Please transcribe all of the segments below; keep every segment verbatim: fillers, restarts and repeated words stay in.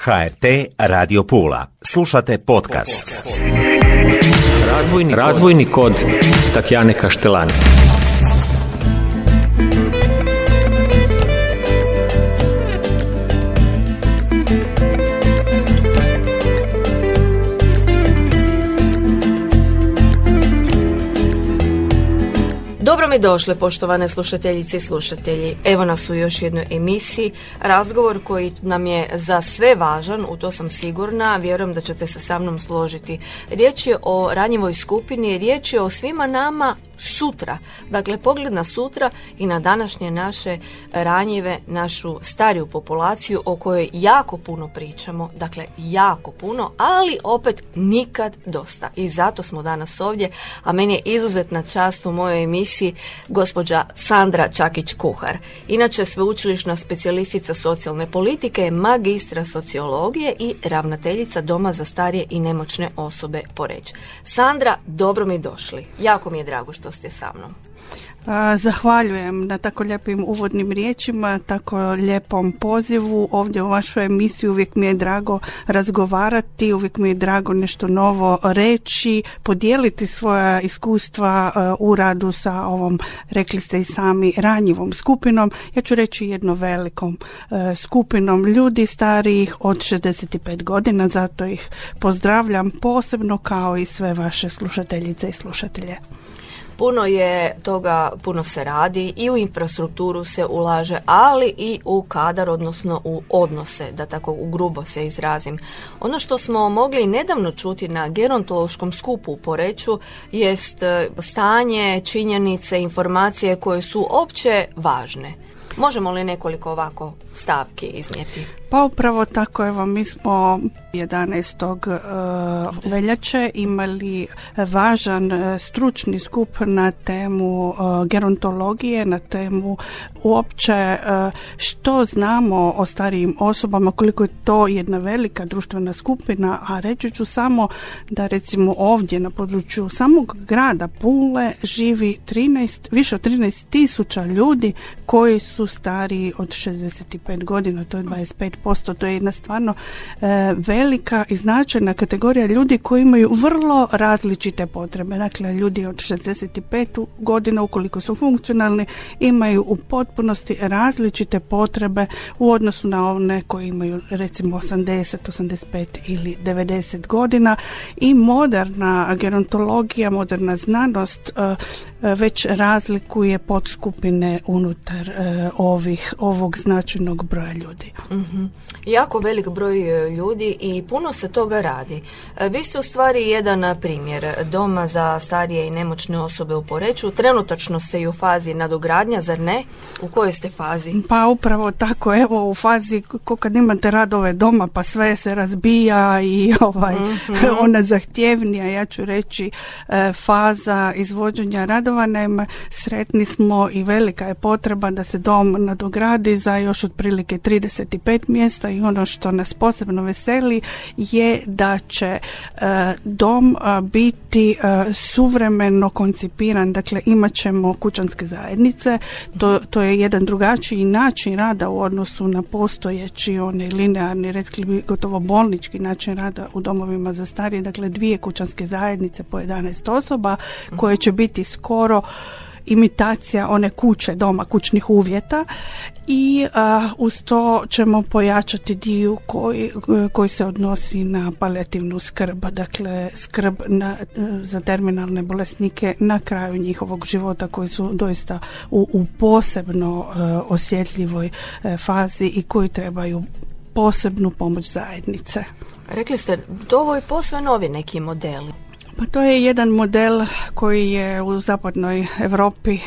H R T Radio Pula. Slušate podcast. Razvojni, razvojni kod Tatjane Kaštelani. Dobro mi došle, poštovane slušateljice i slušatelji. Evo nas u još jednoj emisiji. Razgovor koji nam je za sve važan, u to sam sigurna, vjerujem da ćete se sa mnom složiti. Riječ je o ranjivoj skupini, riječ je o svima nama sutra. Dakle, pogled na sutra i na današnje naše ranjive, našu stariju populaciju o kojoj jako puno pričamo, dakle jako puno, ali opet nikad dosta. I zato smo danas ovdje, a meni je izuzetna čast u mojoj emisiji gospođa Sandra Čakić-Kuhar. Inače sveučilišna specijalistica socijalne politike, magistra sociologije i ravnateljica Doma za starije i nemoćne osobe Poreč. Sandra, dobro mi došli. Jako mi je drago što ste sa mnom. Zahvaljujem na tako lijepim uvodnim riječima, tako lijepom pozivu ovdje u vašu emisiju. Uvijek mi je drago razgovarati, uvijek mi je drago nešto novo reći, podijeliti svoja iskustva u radu sa ovom, rekli ste i sami, ranjivom skupinom. Ja ću reći jednom velikom skupinom ljudi starijih od šezdeset pet godina, zato ih pozdravljam posebno kao i sve vaše slušateljice i slušatelje. Puno je toga, puno se radi i u infrastrukturu se ulaže, ali i u kadar, odnosno u odnose, da tako u grubo se izrazim. Ono što smo mogli nedavno čuti na gerontološkom skupu u Poreču jest stanje, činjenice, informacije koje su opće važne. Možemo li nekoliko ovako stavki iznijeti? Pa upravo tako, evo, mi smo jedanaestog veljače imali važan stručni skup na temu gerontologije, na temu uopće što znamo o starijim osobama, koliko je to jedna velika društvena skupina, a reći ću samo da recimo ovdje na području samog grada Pule živi trinaest, više od trinaest tisuća ljudi koji su stariji od šezdeset pet godina, to je dvadeset pet posto. To je jedna stvarno e, velika i značajna kategorija ljudi koji imaju vrlo različite potrebe. Dakle, ljudi od šezdeset pet godina, ukoliko su funkcionalni, imaju u potpunosti različite potrebe u odnosu na one koji imaju recimo osamdeset, osamdeset pet ili devedeset godina. I moderna gerontologija, moderna znanost e, već razlikuje podskupine unutar e, ovih, ovog značajnog broja ljudi. Mm-hmm. Jako velik broj ljudi i puno se toga radi. Vi ste u stvari jedan primjer Doma za starije i nemoćne osobe u Poreču. Trenutačno ste i u fazi nadogradnja, zar ne? U kojoj ste fazi? Pa upravo tako, evo u fazi ko kad imate radove doma pa sve se razbija i ovaj, mm-hmm. ona zahtjevnija, ja ću reći, faza izvođenja radova. Naime, sretni smo i velika je potreba da se dom nadogradi za još otprilike trideset pet mjesta i ono što nas posebno veseli je da će e, dom a, biti a, suvremeno koncipiran, dakle imat ćemo kućanske zajednice, to, to je jedan drugačiji način rada u odnosu na postojeći onaj linearni, rekli bi gotovo bolnički način rada u domovima za starije, dakle dvije kućanske zajednice po jedanaest osoba koje će biti skoro imitacija one kuće, doma, kućnih uvjeta i a, uz to ćemo pojačati dio koji, koji se odnosi na palijativnu skrb, dakle skrb na, za terminalne bolesnike na kraju njihovog života koji su doista u, u posebno a, osjetljivoj a, fazi i koji trebaju posebnu pomoć zajednice. Rekli ste, to ovo je posve novi neki modeli. Pa to je jedan model koji je u zapadnoj Europi e,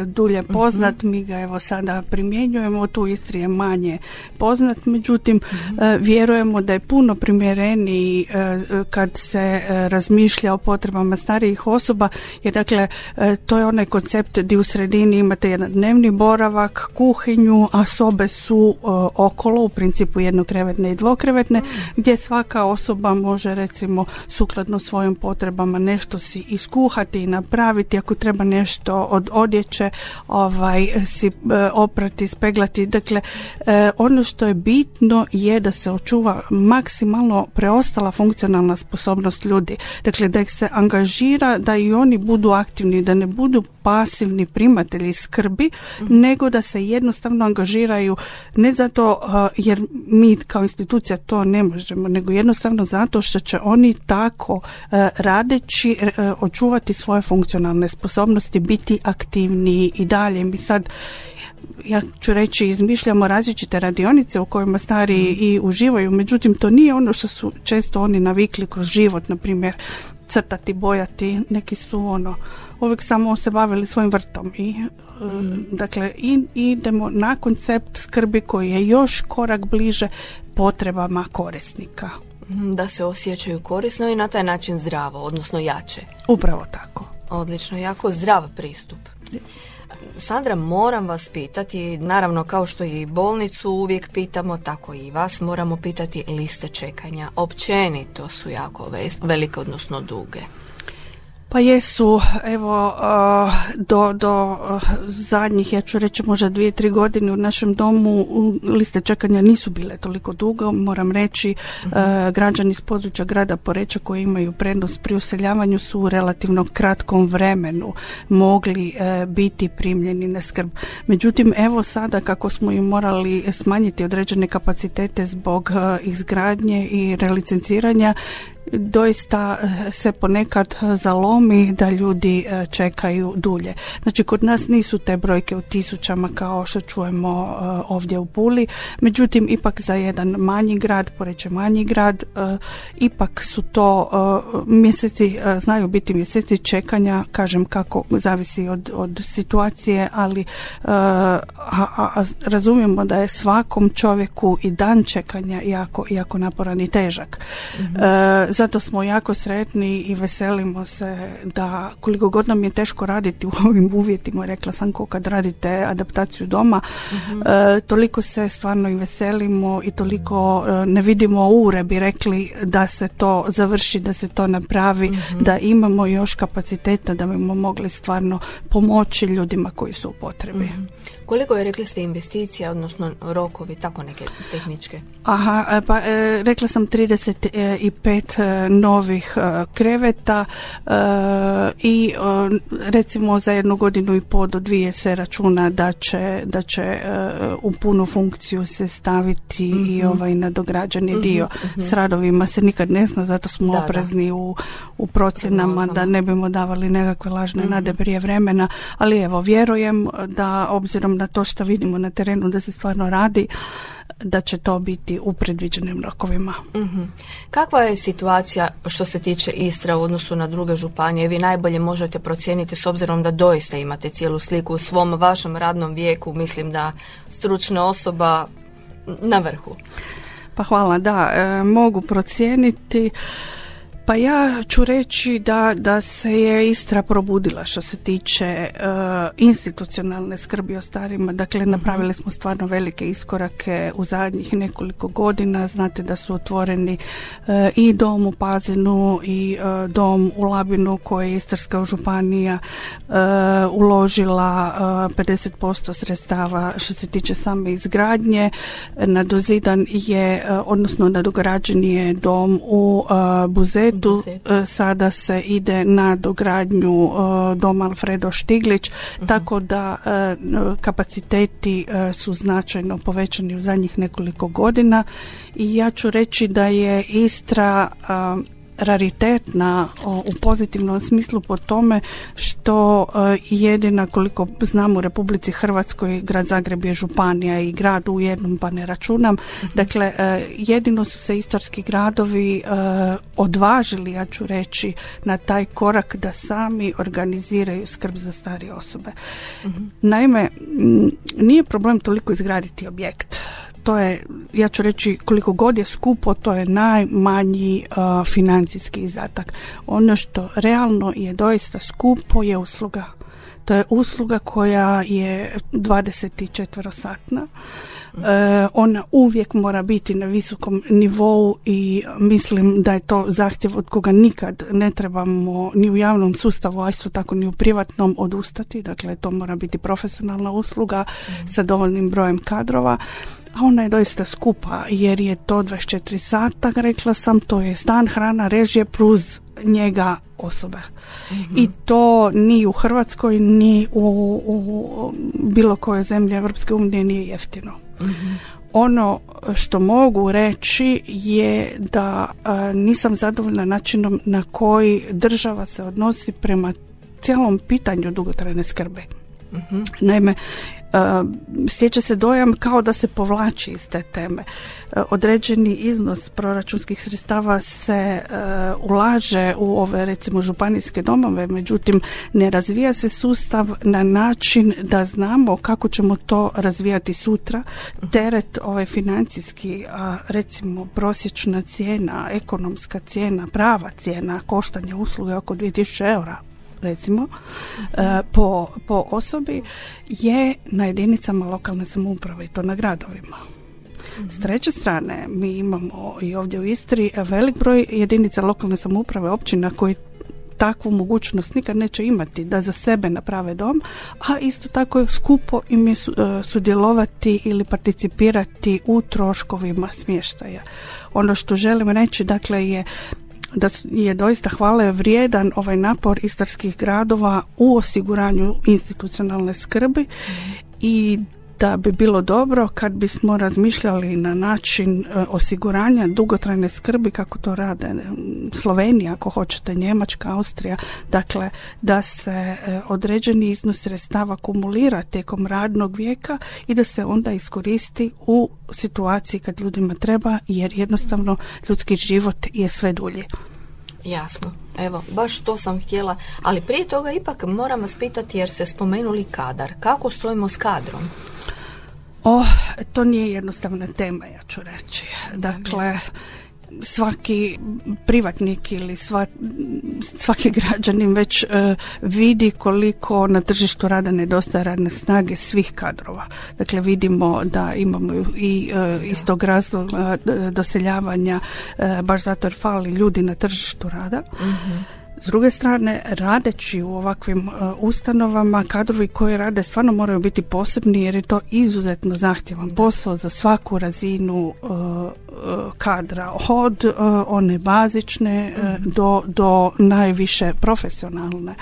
dulje poznat, mm-hmm. mi ga evo sada primjenjujemo, tu u Istri je manje poznat, međutim mm-hmm. e, vjerujemo da je puno primjereniji e, kad se e, razmišlja o potrebama starijih osoba, jer dakle e, to je onaj koncept gdje u sredini imate jedan dnevni boravak, kuhinju, a sobe su e, okolo, u principu jednokrevetne i dvokrevetne, mm-hmm. gdje svaka osoba može recimo sukladno svojim potrebama potrebama, nešto si iskuhati i napraviti, ako treba nešto od odjeće ovaj, si e, oprati, speglati. Dakle, e, ono što je bitno je da se očuva maksimalno preostala funkcionalna sposobnost ljudi. Dakle, da ih se angažira, da i oni budu aktivni, da ne budu pasivni primatelji skrbi, mm. nego da se jednostavno angažiraju, ne zato uh, jer mi kao institucija to ne možemo, nego jednostavno zato što će oni tako uh, radeći uh, očuvati svoje funkcionalne sposobnosti, biti aktivniji i dalje. Mi sad, ja ću reći, izmišljamo različite radionice u kojima stariji mm. i uživaju, međutim to nije ono što su često oni navikli kroz život, na primjer crtati, bojati, neki su ono uvijek samo se bavili svojim vrtom i mm. dakle i, idemo na koncept skrbi koji je još korak bliže potrebama korisnika. Da se osjećaju korisno i na taj način zdravo, odnosno jače. Upravo tako. Odlično, jako zdrav pristup. Sandra, moram vas pitati, naravno kao što i bolnicu uvijek pitamo, tako i vas moramo pitati, liste čekanja općenito su jako velike, odnosno duge. Pa jesu, evo, uh, do, do uh, zadnjih, ja ću reći možda dvije, tri godine u našem domu liste čekanja nisu bile toliko dugo, moram reći, uh, građani iz područja grada Poreča koji imaju prednost pri useljavanju su u relativno kratkom vremenu mogli uh, biti primljeni na skrb. Međutim, evo sada kako smo im morali smanjiti određene kapacitete zbog uh, izgradnje i relicenciranja, doista se ponekad zalomi da ljudi čekaju dulje. Znači, kod nas nisu te brojke u tisućama kao što čujemo ovdje u Puli, međutim, ipak za jedan manji grad, Poreč je manji grad, ipak su to mjeseci, znaju biti mjeseci čekanja, kažem kako zavisi od, od situacije, ali a, a, razumijemo da je svakom čovjeku i dan čekanja jako, jako naporan i težak. Mm-hmm. E, Zato smo jako sretni i veselimo se da koliko god nam je teško raditi u ovim uvjetima, rekla sam ko kad radite adaptaciju doma, mm-hmm. e, toliko se stvarno i veselimo i toliko e, ne vidimo ure, bi rekli, da se to završi, da se to napravi, mm-hmm. da imamo još kapaciteta da bismo mogli stvarno pomoći ljudima koji su u potrebi. Mm-hmm. Koliko je, rekli ste, investicija, odnosno rokovi, tako neke tehničke? Aha, pa e, rekla sam trideset pet e, novih e, kreveta e, i e, recimo za jednu godinu i pol do dvije se računa da će, da će e, u punu funkciju se staviti mm-hmm. i ovaj nadograđeni mm-hmm. dio. Mm-hmm. S radovima se nikad ne zna, zato smo da, oprezni da. U, u procjenama da ne bimo davali nekakve lažne mm-hmm. nade prije vremena, ali evo, vjerujem da obzirom na to što vidimo na terenu da se stvarno radi, da će to biti u predviđenim rokovima. Mm-hmm. Kakva je situacija što se tiče Istre u odnosu na druge županije? Vi najbolje možete procijeniti s obzirom da doista imate cijelu sliku u svom vašem radnom vijeku, mislim da stručna osoba na vrhu. Pa hvala, da, e, mogu procijeniti. Pa ja ću reći da, da se je Istra probudila što se tiče uh, institucionalne skrbi o starima. Dakle, napravili smo stvarno velike iskorake u zadnjih nekoliko godina. Znate da su otvoreni uh, i dom u Pazinu i uh, dom u Labinu koji je Istarska županija uh, uložila uh, pedeset posto sredstava što se tiče same izgradnje. Nadozidan je, uh, odnosno nadograđen je dom u uh, Buzetu. Sada se ide na dogradnju uh, doma Alfredo Štiglić, uh-huh. tako da uh, kapaciteti uh, su značajno povećani u zadnjih nekoliko godina i ja ću reći da je Istra uh, raritetna u pozitivnom smislu po tome što jedina, koliko znam, u Republici Hrvatskoj grad Zagreb je županija i grad u jednom, pa ne računam. Mm-hmm. Dakle, jedino su se istarski gradovi odvažili, ja ću reći, na taj korak da sami organiziraju skrb za starije osobe. Mm-hmm. Naime, nije problem toliko izgraditi objekt. To je, ja ću reći, koliko god je skupo, to je najmanji uh, financijski izdatak. Ono što realno je doista skupo je usluga. To je usluga koja je dvadeset četiri satna. E, ona uvijek mora biti na visokom nivou i mislim da je to zahtjev od koga nikad ne trebamo ni u javnom sustavu, a isto tako ni u privatnom odustati. Dakle, to mora biti profesionalna usluga mm. sa dovoljnim brojem kadrova. A ona je doista skupa jer je to dvadeset četiri sata, rekla sam, to je stan, hrana, režije plus njega osobe. Mm-hmm. I to ni u Hrvatskoj ni u, u bilo kojoj zemlji Europske unije nije jeftino. Mm-hmm. Ono što mogu reći je da a, nisam zadovoljna načinom na koji država se odnosi prema cijelom pitanju dugotrajne skrbi. Mm-hmm. Naime, Uh, stječe se dojam kao da se povlači iz te teme. Uh, određeni iznos proračunskih sredstava se uh, ulaže u ove recimo županijske domove, međutim ne razvija se sustav na način da znamo kako ćemo to razvijati sutra. Teret ovaj financijski, a recimo prosječna cijena, ekonomska cijena, prava cijena koštanja usluge oko dvije tisuće eura recimo e, po, po osobi je na jedinicama lokalne samouprave i to na gradovima. Mm-hmm. S treće strane mi imamo i ovdje u Istri velik broj jedinica lokalne samouprave, općina koji takvu mogućnost nikad neće imati da za sebe naprave dom, a isto tako je skupo im je sudjelovati ili participirati u troškovima smještaja. Ono što želim reći dakle je da je doista hvale vrijedan ovaj napor istarskih gradova u osiguranju institucionalne skrbi mm. i da bi bilo dobro kad bismo razmišljali na način e, osiguranja dugotrajne skrbi kako to rade Slovenija, ako hoćete, Njemačka, Austrija, dakle da se e, određeni iznos sredstava kumulira tijekom radnog vijeka i da se onda iskoristi u situaciji kad ljudima treba, jer jednostavno ljudski život je sve dulji. Jasno, evo, baš to sam htjela, ali prije toga ipak moram vas pitati jer ste spomenuli kadar. Kako stojimo s kadrom? O, to nije jednostavna tema, ja ću reći. Dakle, svaki privatnik ili sva, svaki građanin već uh, vidi koliko na tržištu rada nedostaje radne snage svih kadrova. Dakle, vidimo da imamo i uh, iz tog razloga uh, doseljavanja uh, baš zato jer fali ljudi na tržištu rada. Mm-hmm. S druge strane, radeći u ovakvim uh, ustanovama, kadrovi koji rade stvarno moraju biti posebni jer je to izuzetno zahtjevan posao za svaku razinu uh, uh, kadra, od uh, one bazične uh, do, do najviše profesionalne.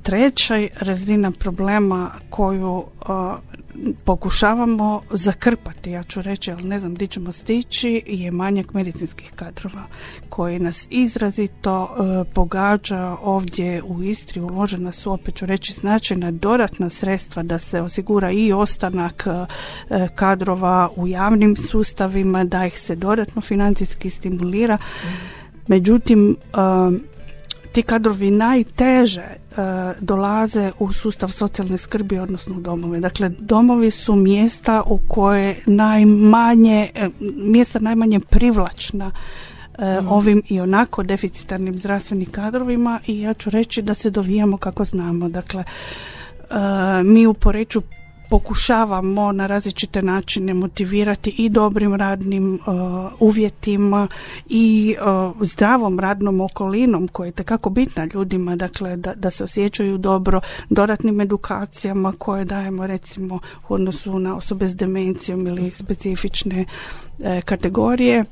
Treća razina problema koju uh, pokušavamo zakrpati, ja ću reći, ali ne znam gdje ćemo stići, je manjak medicinskih kadrova koji nas izrazito uh, pogađa ovdje u Istri. Uložena su, opet ću reći, značajna dodatna sredstva da se osigura i ostanak uh, kadrova u javnim sustavima, da ih se dodatno financijski stimulira. Međutim, uh, ti kadrovi najteže uh, dolaze u sustav socijalne skrbi, odnosno u domove. Dakle, domovi su mjesta u koje najmanje, mjesta najmanje privlačna uh, mm. ovim i onako deficitarnim zdravstvenim kadrovima i ja ću reći da se dovijamo kako znamo. Dakle, uh, mi u Poreču pokušavamo na različite načine motivirati i dobrim radnim uh, uvjetima i uh, zdravom radnom okolinom koja je tekako bitna ljudima, dakle da, da se osjećaju dobro, dodatnim edukacijama koje dajemo recimo u odnosu na osobe s demencijom ili specifične uh, kategorije.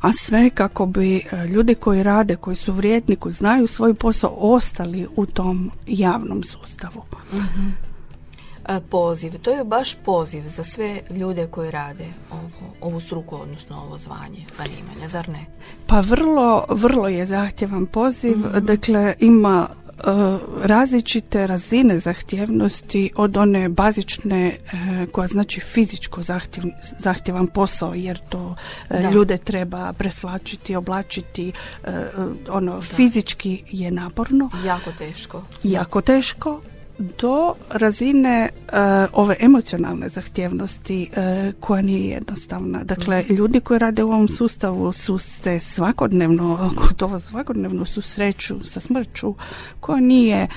A sve kako bi ljudi koji rade, koji su vrijedni, koji znaju svoj posao, ostali u tom javnom sustavu. Mm-hmm. Poziv, to je baš poziv za sve ljude koji rade ovo, ovu struku, odnosno ovo zvanje, zanimanje, zar ne? Pa vrlo, vrlo je zahtjevan poziv, mm-hmm. dakle ima uh, različite razine zahtjevnosti od one bazične uh, koja znači fizičko zahtjev, zahtjevan posao, jer to uh, ljude treba presvlačiti, oblačiti, uh, ono da. Fizički je naporno. Jako teško. Jako teško. Do razine uh, ove emocionalne zahtjevnosti uh, koja nije jednostavna. Dakle, ljudi koji rade u ovom sustavu su se svakodnevno, gotovo svakodnevno susreću sa smrću koja nije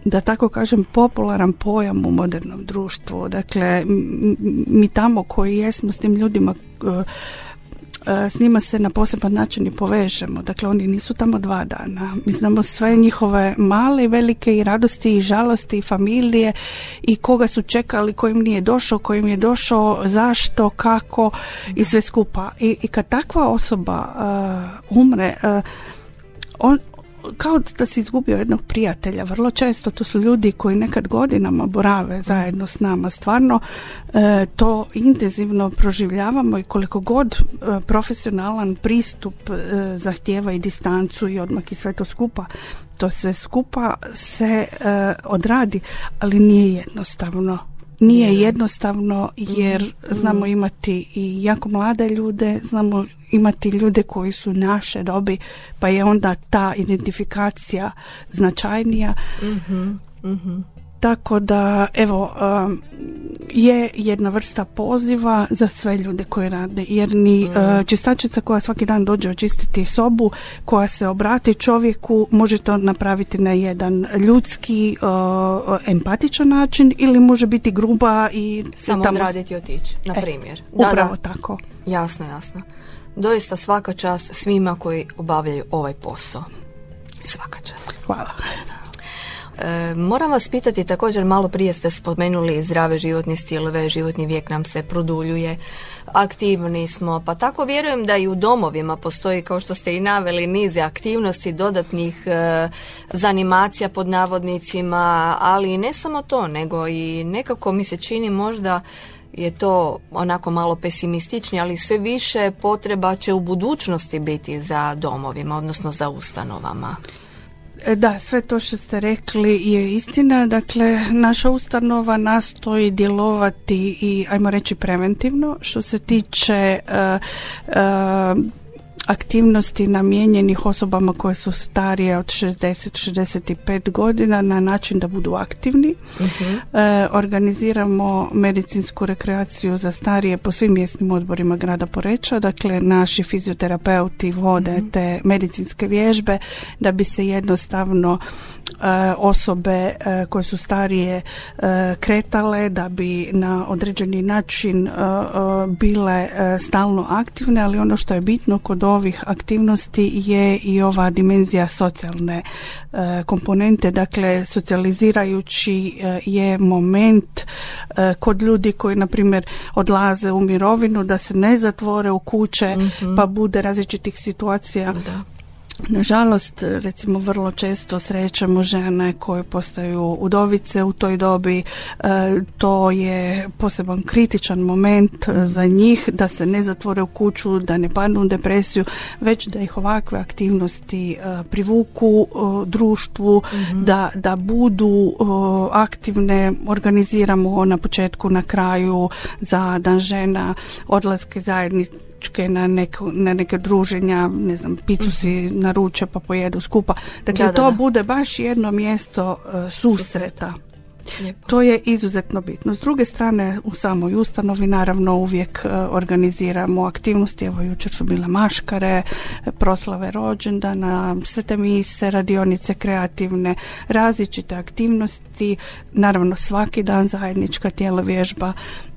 da tako kažem, popularan pojam u modernom društvu. Dakle, mi tamo koji jesmo s tim ljudima, s njima se na poseban način i povežemo. Dakle, oni nisu tamo dva dana. Mi znamo sve njihove male i velike i radosti i žalosti i familije i koga su čekali, kojim nije došao, kojim je došao, zašto, kako i sve skupa. I, i kad takva osoba uh, umre, uh, on kao da si izgubio jednog prijatelja. Vrlo često to su ljudi koji nekad godinama borave zajedno s nama. Stvarno e, to intenzivno proživljavamo i koliko god e, profesionalan pristup e, zahtijeva i distancu i odmak i sve to skupa, to sve skupa se e, odradi, ali nije jednostavno. Nije jednostavno jer znamo imati i jako mlade ljude, znamo imati ljude koji su naše dobi, pa je onda ta identifikacija značajnija. Mm-hmm, mm-hmm. Tako da, evo, um, je jedna vrsta poziva za sve ljude koji rade, jer ni mm. uh, čistačica koja svaki dan dođe očistiti sobu, koja se obrati čovjeku, može to napraviti na jedan ljudski, uh, empatičan način ili može biti gruba i samo tamo odraditi i otići, na primjer. E, da, upravo da. Tako. Jasno, jasno. Doista svaka čast svima koji obavljaju ovaj posao. Svaka čast. Hvala. E, moram vas pitati, također malo prije ste spomenuli zdrave životne stilove, životni vijek nam se produljuje, aktivni smo, pa tako vjerujem da i u domovima postoji, kao što ste i naveli, nize aktivnosti, dodatnih e, zanimacija pod navodnicima, ali ne samo to, nego i nekako mi se čini možda je to onako malo pesimističnije, ali sve više potreba će u budućnosti biti za domovima, odnosno za ustanovama. Da, sve to što ste rekli je istina. Dakle, naša ustanova nastoji djelovati i, ajmo reći, preventivno što se tiče uh, uh, aktivnosti namijenjenih osobama koje su starije od šezdeset do šezdeset pet godina na način da budu aktivni. Uh-huh. E, organiziramo medicinsku rekreaciju za starije po svim mjesnim odborima grada Poreča. Dakle, naši fizioterapeuti vode uh-huh. te medicinske vježbe da bi se jednostavno e, osobe e, koje su starije e, kretale, da bi na određeni način e, e, bile e, stalno aktivne, ali ono što je bitno kod ovih aktivnosti je i ova dimenzija socijalne e, komponente. Dakle, socijalizirajući e, je moment e, kod ljudi koji, na primjer, odlaze u mirovinu, da se ne zatvore u kuće, mm-hmm. pa bude različitih situacija. Da. Nažalost, recimo, vrlo često srećemo žene koje postaju udovice u toj dobi. E, to je poseban kritičan moment mm. za njih, da se ne zatvore u kuću, da ne padnu u depresiju, već da ih ovakve aktivnosti e, privuku e, društvu, mm-hmm. da, da budu e, aktivne. Organiziramo na početku, na kraju za Dan žena, odlaske zajednice na, neko, na neke druženja, ne znam, picu si naruče pa pojedu skupa. Dakle, da, da, to da. bude baš jedno mjesto uh, susreta. Lijepo. To je izuzetno bitno. S druge strane, u samoj ustanovi naravno uvijek uh, organiziramo aktivnosti. Evo, jučer su bile maškare, proslave rođendana, svete mise, radionice kreativne, različite aktivnosti. Naravno, svaki dan zajednička tjelovježba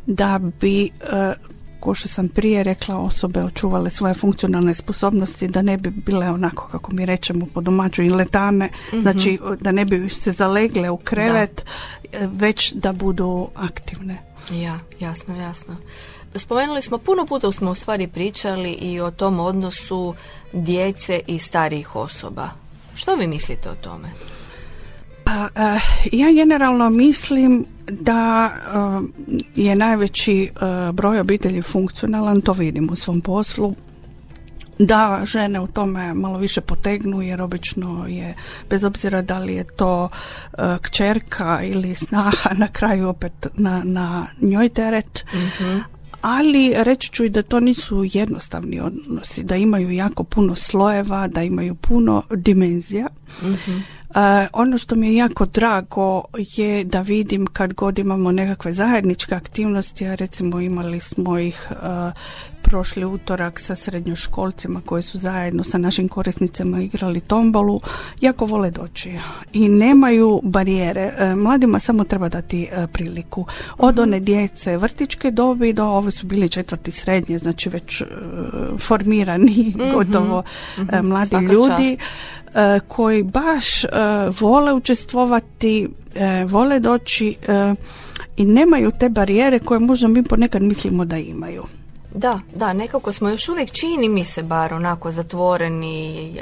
da bi uh, ko što sam prije rekla, osobe očuvale svoje funkcionalne sposobnosti, da ne bi bile onako, kako mi rečemo po domaću, iletane, mm-hmm. znači da ne bi se zalegle u krevet, da. već da budu aktivne. Ja, jasno, jasno. Spomenuli smo, puno puta smo u stvari pričali i o tom odnosu djece i starijih osoba. Što vi mislite o tome? Pa, uh, ja generalno mislim da uh, je najveći uh, broj obitelji funkcionalan, to vidim u svom poslu, da žene u tome malo više potegnu, jer obično je, bez obzira da li je to uh, kćerka ili snaha, na kraju opet na, na njoj teret. Mm-hmm. Ali reći ću i da to nisu jednostavni odnosi, da imaju jako puno slojeva, da imaju puno dimenzija. Mm-hmm. ono što mi je jako drago je da vidim kad god imamo nekakve zajedničke aktivnosti, a recimo imali smo ih uh, prošli utorak sa srednjoškolcima koji su zajedno sa našim korisnicama igrali tombolu, jako vole doći i nemaju barijere. Uh, mladima samo treba dati uh, priliku. Od one djece vrtićke dobi do, ovi su bili četvrti srednje, znači već uh, formirani mm-hmm. gotovo uh, mladi Svaka ljudi. Čast. Koji baš uh, vole učestvovati, uh, vole doći uh, i nemaju te barijere koje možda mi ponekad mislimo da imaju. Da, da, nekako smo još uvijek, čini mi se bar onako zatvoreni.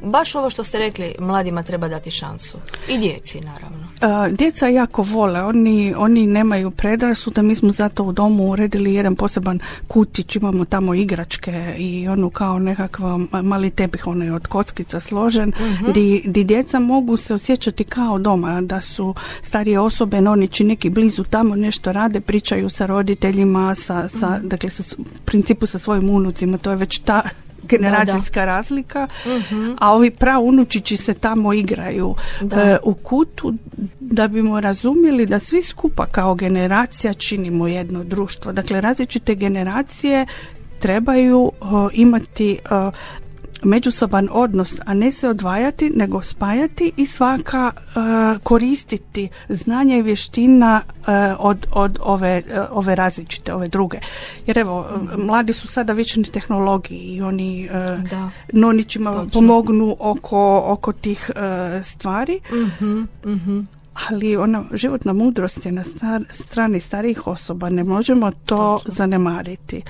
Baš ovo što ste rekli, mladima treba dati šansu. I djeci, naravno. Uh, djeca jako vole, oni, oni nemaju predrasuda, mi smo zato u domu uredili jedan poseban kutić, imamo tamo igračke i onu kao nekakav mali tepih, onaj od kockica složen, uh-huh. di, di djeca mogu se osjećati kao doma, da su starije osobe, nonići neki blizu tamo nešto rade, pričaju sa roditeljima, sa, sa, uh-huh. dakle, sa, u principu sa svojim unucima, to je već ta generacijska da, da. razlika, uh-huh. a ovi praunučići se tamo igraju e, u kutu, da bimo razumjeli da svi skupa kao generacija činimo jedno društvo. Dakle, različite generacije trebaju o, imati o, međusoban odnos, a ne se odvajati, nego spajati i svaka uh, koristiti znanja i vještina uh, od, od ove, uh, ove različite, ove druge. Jer evo, mm-hmm. mladi su sada vični tehnologiji i oni uh, nonićima Točno. pomognu oko, oko tih uh, stvari. Mm-hmm. Mm-hmm. Ali ona životna mudrost je na star, strani starijih osoba, ne možemo to Točno. zanemariti.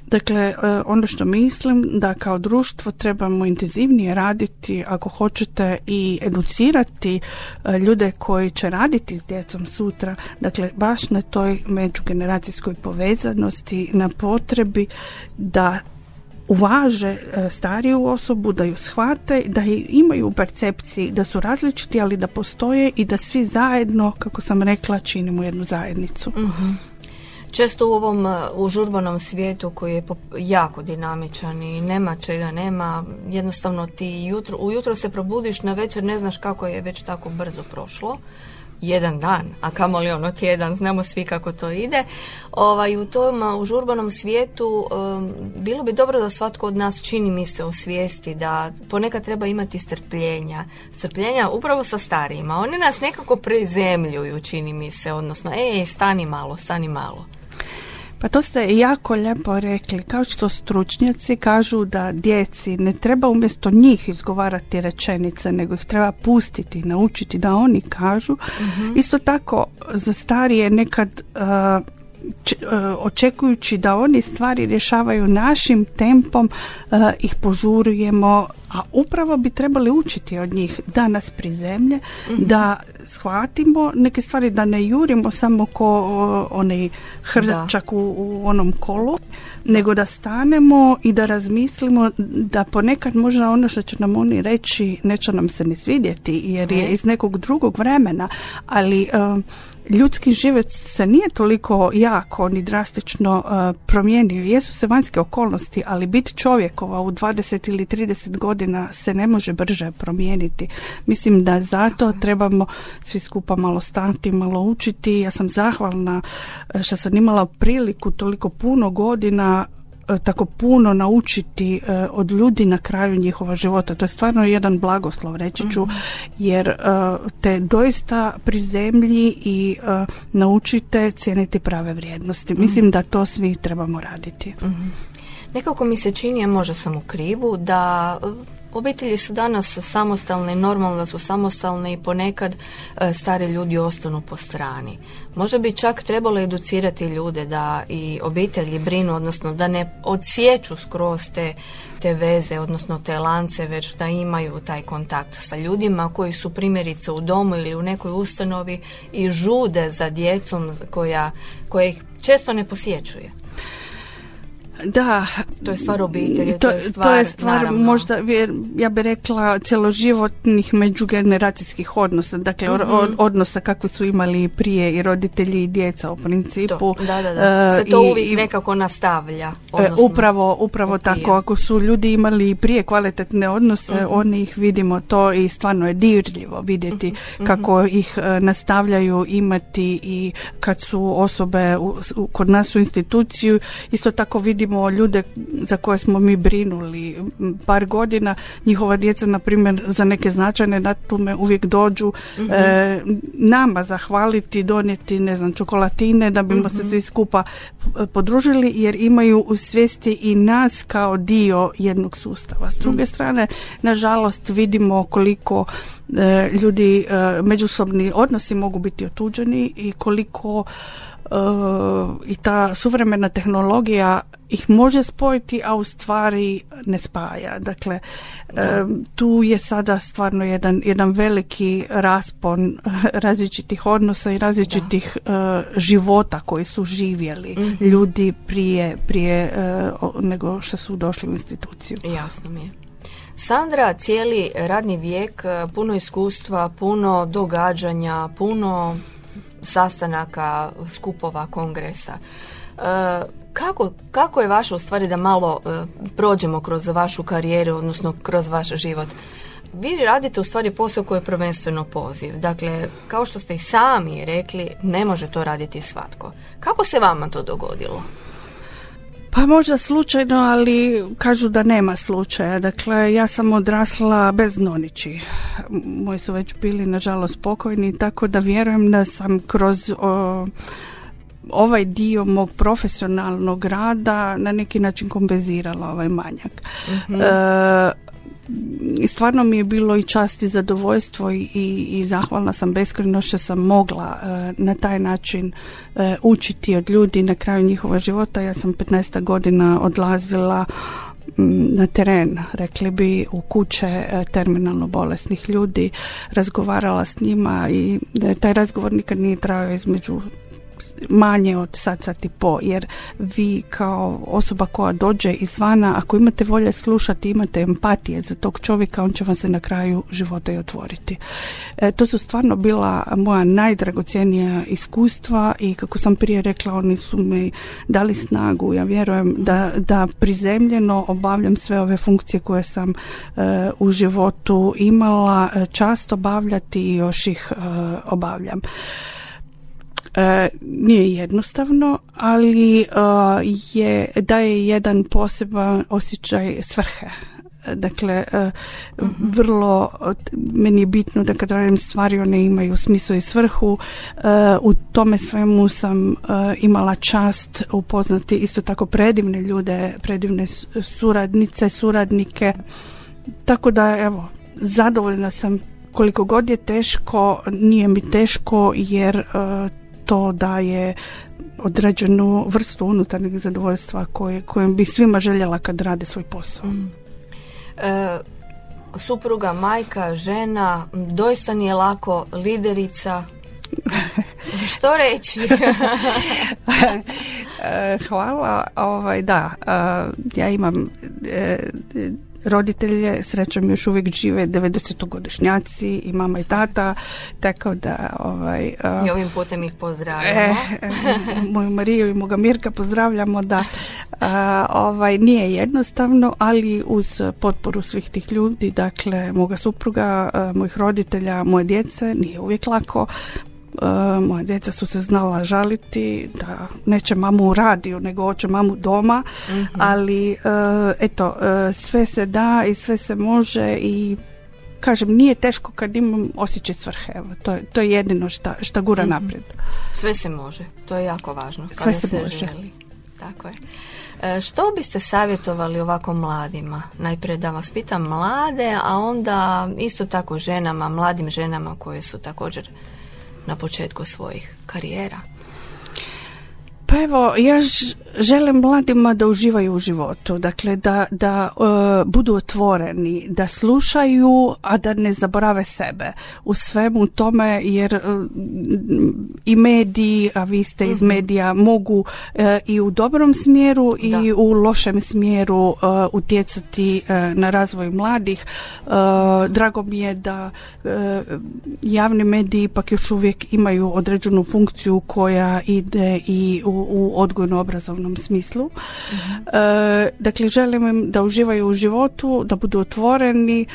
Dakle, ono što mislim da kao društvo trebamo intenzivnije raditi, ako hoćete, i educirati ljude koji će raditi s djecom sutra, dakle baš na toj međugeneracijskoj povezanosti, na potrebi da uvaže stariju osobu, da ju shvate, da imaju u percepciji da su različiti, ali da postoje i da svi zajedno, kako sam rekla, činimo jednu zajednicu. Mm-hmm. Često u ovom užurbanom svijetu koji je jako dinamičan i nema čega nema, jednostavno ti jutro, ujutro se probudiš, na večer ne znaš kako je već tako brzo prošlo. Jedan dan, a kamoli ono tjedan, znamo svi kako to ide. Ovaj, u tom užurbanom svijetu um, bilo bi dobro da svatko od nas, čini mi se, osvijesti da ponekad treba imati strpljenja. Strpljenja upravo sa starijima. Oni nas nekako prizemljuju, čini mi se, odnosno, ej, stani malo, stani malo. Pa to ste jako lijepo rekli, kao što stručnjaci kažu da djeci ne treba umjesto njih izgovarati rečenice, nego ih treba pustiti, naučiti da oni kažu. Mm-hmm. Isto tako za starije nekad uh, č, uh, očekujući da oni stvari rješavaju našim tempom, uh, ih požurujemo, a upravo bi trebali učiti od njih da nas prizemlje, mm-hmm. da shvatimo neke stvari, da ne jurimo samo ko onaj hrčak u, u onom kolu, nego da stanemo i da razmislimo da ponekad možda ono što će nam oni reći neće nam se ne svidjeti jer je iz nekog drugog vremena, ali uh, ljudski život se nije toliko jako ni drastično uh, promijenio. Jesu se vanjske okolnosti, ali biti čovjekova u dvadeset ili trideset godina se ne može brže promijeniti. Mislim da zato trebamo svi skupa malo stati, malo učiti. Ja sam zahvalna što sam imala priliku toliko puno godina tako puno naučiti uh, od ljudi na kraju njihova života. To je stvarno jedan blagoslov, reći ću, mm-hmm. jer uh, te doista prizemlji i uh, naučite cijeniti prave vrijednosti. Mm-hmm. Mislim da to svi trebamo raditi. Mm-hmm. Nekako mi se čini, a možda sam u krivu, da obitelji su danas samostalne i normalno da su samostalne i ponekad e, stari ljudi ostanu po strani. Možda bi čak trebalo educirati ljude da i obitelji brinu, odnosno da ne odsjeću skroz te, te veze, odnosno te lance, već da imaju taj kontakt sa ljudima koji su primjerice u domu ili u nekoj ustanovi i žude za djecom koja, koja ih često ne posjećuje. Da. To je stvar obitelji, to, to je stvar, to je stvar naravno. možda, ja bih rekla, cjeloživotnih međugeneracijskih odnosa, dakle mm-hmm. od, odnosa kakve su imali prije i roditelji i djeca u principu. To, da, da, da. Se to uh, uvijek i, nekako nastavlja. Odnosno, upravo upravo tako, ako su ljudi imali prije kvalitetne odnose, mm-hmm. oni ih vidimo to i stvarno je dirljivo vidjeti mm-hmm. kako ih uh, nastavljaju imati i kad su osobe u, u, kod nas u instituciju, isto tako vidimo ljude za koje smo mi brinuli par godina, njihova djeca na primjer za neke značajne datume uvijek dođu mm-hmm. e, nama zahvaliti, donijeti ne znam čokolatine da bimo mm-hmm. se svi skupa podružili jer imaju u svijesti i nas kao dio jednog sustava. S druge mm-hmm. strane, nažalost vidimo koliko e, ljudi e, međusobni odnosi mogu biti otuđeni i koliko Uh, i ta suvremena tehnologija ih može spojiti, a u stvari ne spaja. Dakle, um, tu je sada stvarno jedan, jedan veliki raspon različitih odnosa i različitih uh, života koji su živjeli mm-hmm. ljudi prije, prije uh, nego što su došli u instituciju. Jasno mi je. Sandra, cijeli radni vijek, puno iskustva, puno događanja, puno sastanaka, skupova, kongresa. E, kako, kako je vaše, u stvari, da malo e, prođemo kroz vašu karijeru, odnosno kroz vaš život? Vi radite u stvari posao koji je prvenstveno poziv. Dakle, kao što ste i sami rekli, ne može to raditi svatko. Kako se vama to dogodilo? Pa možda slučajno, ali kažu da nema slučaja. Dakle, ja sam odrasla bez nonići. Moji su već bili, nažalost, pokojni, tako da vjerujem da sam kroz o, ovaj dio mog profesionalnog rada na neki način kompenzirala ovaj manjak. Mm-hmm. E, I stvarno mi je bilo i čast i zadovoljstvo i, i, i zahvalna sam beskrajno što sam mogla e, na taj način e, učiti od ljudi na kraju njihova života. Ja sam petnaest godina odlazila m, na teren, rekli bi, u kuće e, terminalno bolesnih ljudi, razgovarala s njima i e, taj razgovor nikad nije trajao između manje od sat, sat i po, jer vi kao osoba koja dođe izvana, ako imate volje slušati, imate empatije za tog čovjeka, on će vam se na kraju života i otvoriti. E, to su stvarno bila moja najdragocjenija iskustva i kako sam prije rekla, oni su mi dali snagu. Ja vjerujem da, da prizemljeno obavljam sve ove funkcije koje sam e, u životu imala čast obavljati i još ih e, obavljam. E, nije jednostavno, ali e, je, daje jedan poseban osjećaj svrhe. Dakle, e, uh-huh. vrlo meni je bitno da kad radim stvari one imaju smisao i svrhu. E, u tome svemu sam e, imala čast upoznati isto tako predivne ljude, predivne suradnice, suradnike. Tako da, evo, zadovoljna sam. Koliko god je teško, nije mi teško jer e, to daje određenu vrstu unutarnjeg zadovoljstva koje, kojem bi svima željela kad rade svoj posao. Mm. E, supruga, majka, žena, doista nije lako, liderica. Što reći? Hvala. Ovaj, da, ja imam e, roditelje, srećom još uvijek žive devedesetogodišnjaci i mama i tata, tako da ovaj, uh, i ovim putem ih pozdravljamo. E, e, moju Mariju i moga Mirka pozdravljamo, da uh, ovaj, nije jednostavno, ali uz potporu svih tih ljudi, dakle moga supruga, uh, mojih roditelja, moje djece, nije uvijek lako. Uh, moja djeca su se znala žaliti da neće mamu u radiju nego hoće mamu doma, mm-hmm. ali uh, eto, uh, sve se da i sve se može i kažem, nije teško kad imam osjećaj svrhe. Evo, to, je, to je jedino šta, šta gura mm-hmm. naprijed. Sve se može, to je jako važno. Sve se, se može. Želi. Tako je. E, što biste savjetovali ovako mladima? Najprije da vas pitam mlade, a onda isto tako ženama, mladim ženama koje su također na početku svojih karijera. Pa evo, ja ž- želim mladima da uživaju u životu, dakle da, da uh, budu otvoreni, da slušaju, a da ne zaborave sebe u svemu tome, jer uh, i mediji, a vi ste iz medija, mogu uh, i u dobrom smjeru i Da. u lošem smjeru uh, utjecati uh, na razvoj mladih. Uh, drago mi je da uh, javni mediji ipak još uvijek imaju određenu funkciju koja ide i u, u odgojno-obrazovnom smislu. Mm-hmm. E, dakle, želim im da uživaju u životu, da budu otvoreni,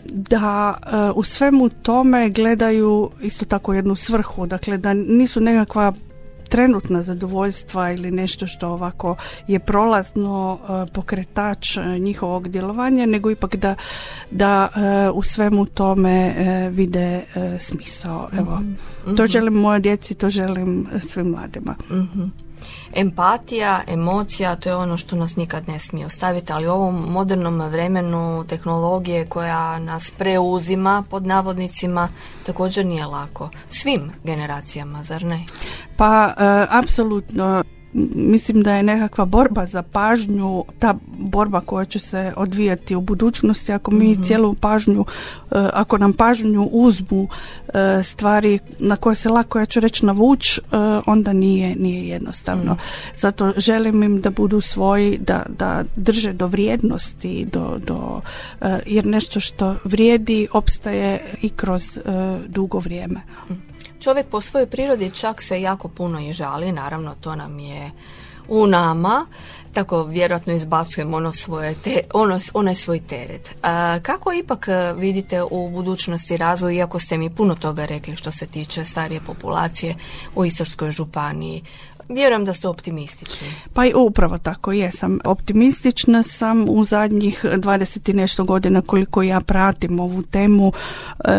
da e, u svemu tome gledaju isto tako jednu svrhu, dakle da nisu nekakva trenutna zadovoljstva ili nešto što ovako je prolazno e, pokretač e, njihovog djelovanja, nego ipak da, da e, u svemu tome e, vide e, smisao. Evo, Mm-hmm. to želim moje djeci, to želim svim mladima. Mhm. Empatija, emocija, to je ono što nas nikad ne smije ostaviti, ali u ovom modernom vremenu tehnologije koja nas preuzima, pod navodnicima, također nije lako. Svim generacijama, zar ne? Pa, e, apsolutno. Mislim da je nekakva borba za pažnju, ta borba koja će se odvijati u budućnosti, ako mi mm-hmm. cijelu pažnju, e, ako nam pažnju uzmu e, stvari na koje se lako, ja ću reći, navući, e, onda nije, nije jednostavno. Mm. Zato želim im da budu svoji, da, da drže do vrijednosti, do, do, e, jer nešto što vrijedi opstaje i kroz e, dugo vrijeme. Mm. Čovjek po svojoj prirodi čak se jako puno i žali, naravno to nam je u nama, tako vjerojatno izbacujemo ono svoje te, ono, onaj svoj teret. A, kako ipak vidite u budućnosti razvoj, iako ste mi puno toga rekli što se tiče starije populacije u Istarskoj županiji? Vjerujem da ste optimistični. Pa i upravo tako, jesam. Optimistična sam u zadnjih dvadeset i nešto godina koliko ja pratim ovu temu. E,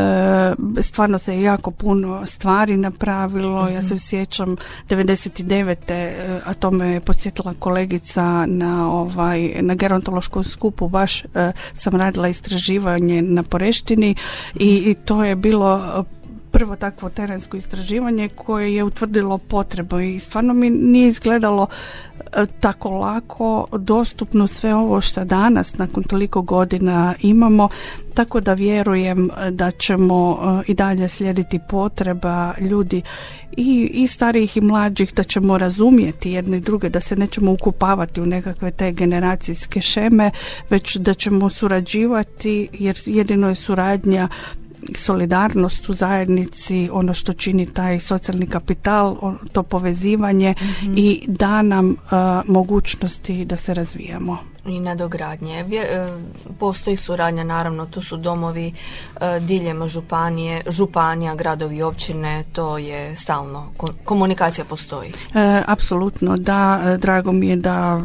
stvarno se jako puno stvari napravilo. Mm-hmm. Ja se sjećam devedeset devete a to me je podsjetila kolegica na, ovaj, na gerontološkom skupu, baš e, sam radila istraživanje na Poreštini mm-hmm. i, i to je bilo prvo takvo terensko istraživanje koje je utvrdilo potrebu i stvarno mi nije izgledalo e, tako lako dostupno sve ovo što danas nakon toliko godina imamo, tako da vjerujem da ćemo e, i dalje slijediti potreba ljudi i, i starijih i mlađih, da ćemo razumjeti jedne i druge, da se nećemo ukupavati u nekakve te generacijske šeme, već da ćemo surađivati, jer jedino je suradnja, solidarnost u zajednici, ono što čini taj socijalni kapital, to povezivanje mm-hmm. i da nam uh, mogućnosti da se razvijamo. I nadogradnje. Postoji suradnja, naravno, tu su domovi diljem županije, županija, gradovi i općine, to je stalno, komunikacija postoji. E, apsolutno, da, drago mi je da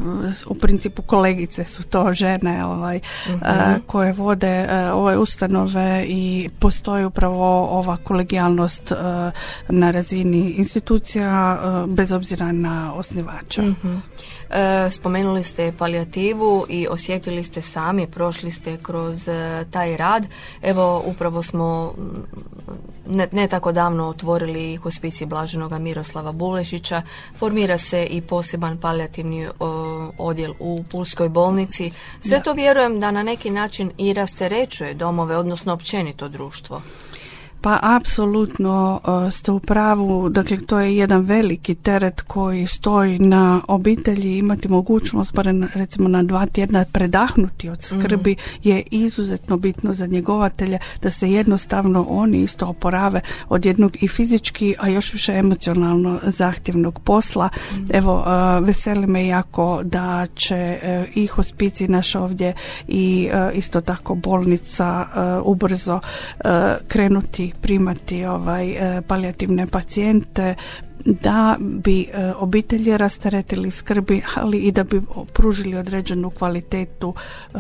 u principu kolegice su to žene ovaj, mm-hmm. a, koje vode a, ove ustanove i postoji upravo ova kolegijalnost a, na razini institucija a, bez obzira na osnivača. Mm-hmm. E, spomenuli ste palijativu i osjetili ste sami, prošli ste kroz e, taj rad. Evo, upravo smo ne, ne tako davno otvorili hospicij Blaženoga Miroslava Bulešića. Formira se i poseban palijativni o, odjel u Pulskoj bolnici. Sve da. To vjerujem da na neki način i rasterećuje domove, odnosno općenito društvo. Pa apsolutno uh, ste u pravu, dakle to je jedan veliki teret koji stoji na obitelji, imati mogućnost barem recimo na dva tjedna predahnuti od skrbi mm-hmm. je izuzetno bitno za njegovatelje, da se jednostavno oni isto oporave od jednog i fizički, a još više emocionalno zahtjevnog posla. Mm-hmm. Evo, uh, veseli me jako da će uh, i hospicij naš ovdje i uh, isto tako bolnica uh, ubrzo uh, krenuti primati ovaj e, palijativne pacijente, da bi e, obitelji rasteretili skrbi, ali i da bi pružili određenu kvalitetu e,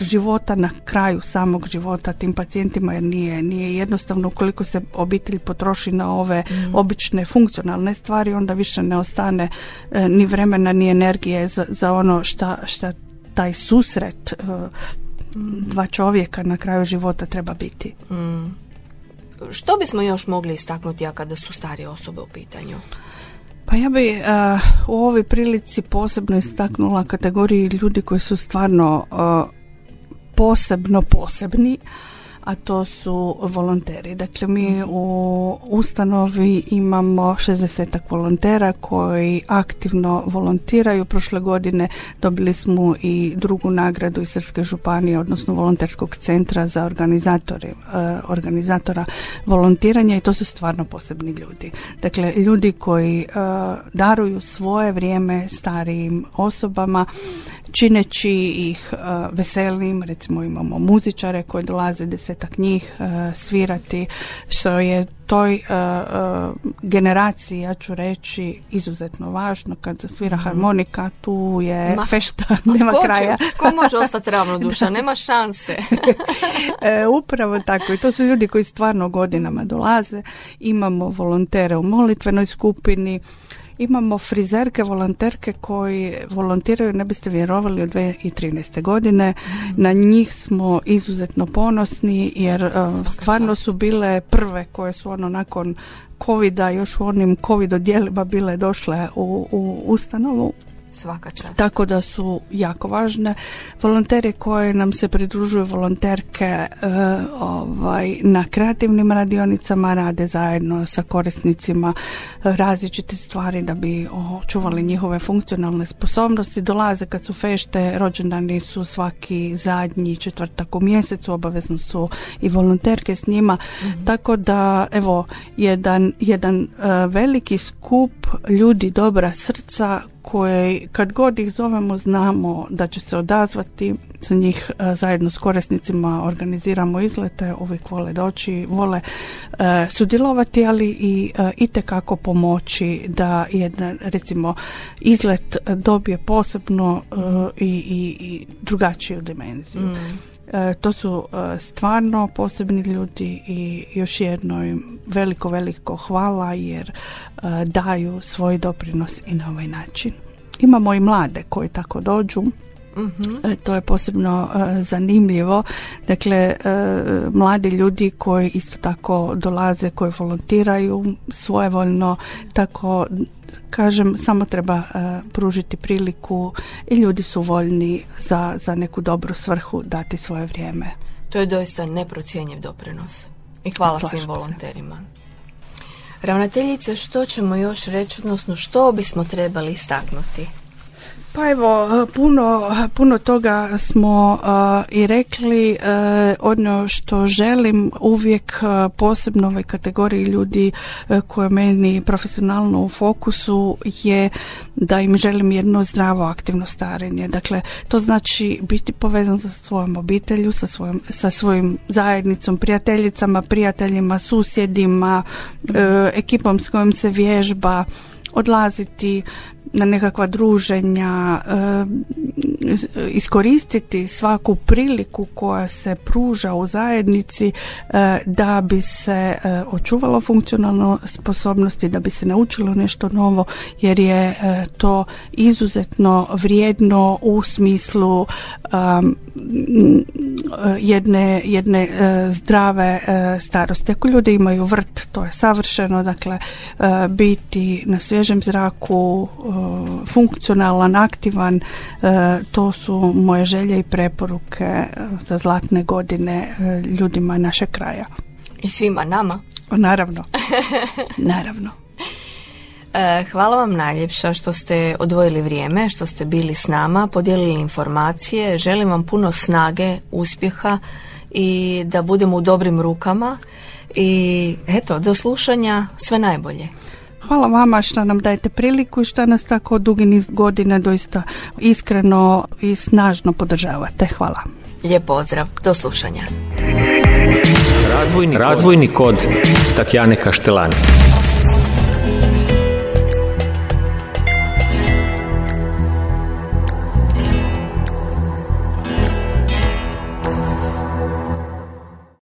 života na kraju samog života tim pacijentima, jer nije, nije jednostavno. Ukoliko se obitelj potroši na ove mm. obične funkcionalne stvari, onda više ne ostane e, ni vremena ni energije za, za ono šta, šta taj susret e, mm. dva čovjeka na kraju života treba biti. Mm. Što bismo još mogli istaknuti, a kada su starije osobe u pitanju? Pa ja bi uh, u ovoj prilici posebno istaknula kategoriju ljudi koji su stvarno uh, posebno posebni, a to su volonteri. Dakle, mi u ustanovi imamo šezdesetak volontera koji aktivno volontiraju. Prošle godine dobili smo i drugu nagradu Istarske županije, odnosno volonterskog centra za organizatori, eh, organizatora volontiranja, i to su stvarno posebni ljudi. Dakle, ljudi koji eh, daruju svoje vrijeme starijim osobama, čineći ih uh, veselim. Recimo imamo muzičare koji dolaze, desetak njih, uh, svirati, što je toj uh, uh, generaciji, ja ću reći, izuzetno važno. Kad svira mm. harmonika, tu je Ma, fešta, nema ko kraja. Će, ko može ostati ravnodušan? Nema šanse. e, upravo tako. I to su ljudi koji stvarno godinama dolaze. Imamo volontere u molitvenoj skupini. Imamo frizerke, volonterke koji volontiraju, ne biste vjerovali, od dvije tisuće trinaeste. godine. Mm. Na njih smo izuzetno ponosni jer uh, stvarno su bile prve koje su ono nakon covida, još u onim covid odjelima bile došle u, u ustanovu. Svaka čast. Tako da su jako važne. Volonteri koji nam se pridružuju, volonterke uh, ovaj, na kreativnim radionicama, rade zajedno sa korisnicima različite stvari da bi očuvali njihove funkcionalne sposobnosti. Dolaze kad su fešte, rođendani su svaki zadnji četvrtak u mjesecu, obavezno su i volonterke s njima. Mm-hmm. Tako da, evo, jedan, jedan uh, veliki skup ljudi dobra srca koje kad god ih zovemo znamo da će se odazvati. Za njih uh, zajedno s korisnicima organiziramo izlete, uvijek vole doći, vole uh, sudjelovati, ali i uh, itekako pomoći da jedan, recimo, izlet dobije posebno uh, i, i, i drugačiju dimenziju. Mm. E, to su e, stvarno posebni ljudi i još jedno im veliko, veliko hvala jer e, daju svoj doprinos i na ovaj način. Imamo i mlade koji tako dođu. Mm-hmm. E, to je posebno e, zanimljivo. Dakle, e, mladi ljudi koji isto tako dolaze, koji volontiraju svojevoljno, tako kažem, samo treba uh, pružiti priliku i ljudi su voljni za, za neku dobru svrhu dati svoje vrijeme. To je doista neprocjenjiv doprinos. I hvala Slažem svim volonterima. Se. Ravnateljice, što ćemo još reći, odnosno što bismo trebali istaknuti? Pa evo, puno, puno toga smo uh, i rekli. Uh, ono što želim uvijek uh, posebno ovoj kategoriji ljudi uh, koje meni profesionalno u fokusu je da im želim jedno zdravo aktivno starenje. Dakle, to znači biti povezan sa svojom obitelju, sa svojom, sa svojim zajednicom, prijateljicama, prijateljima, susjedima, uh, ekipom s kojom se vježba, odlaziti na nekakva druženja, iskoristiti svaku priliku koja se pruža u zajednici da bi se očuvalo funkcionalno sposobnosti, da bi se naučilo nešto novo, jer je to izuzetno vrijedno u smislu um, jedne, jedne zdrave starosti. Ako ljudi imaju vrt, to je savršeno, dakle biti na svježem zraku, funkcionalan, aktivan, to su moje želje i preporuke za zlatne godine ljudima našeg kraja. I svima nama. Naravno. Naravno. Hvala vam najljepša što ste odvojili vrijeme, što ste bili s nama, podijelili informacije. Želim vam puno snage, uspjeha i da budemo u dobrim rukama. I eto, do slušanja, sve najbolje. Hvala vama što nam dajete priliku i što nas tako dugi niz godina doista iskreno i snažno podržavate. Hvala. Lijep pozdrav. Do slušanja. Razvojni, razvojni kod Tatjane Kaštelani.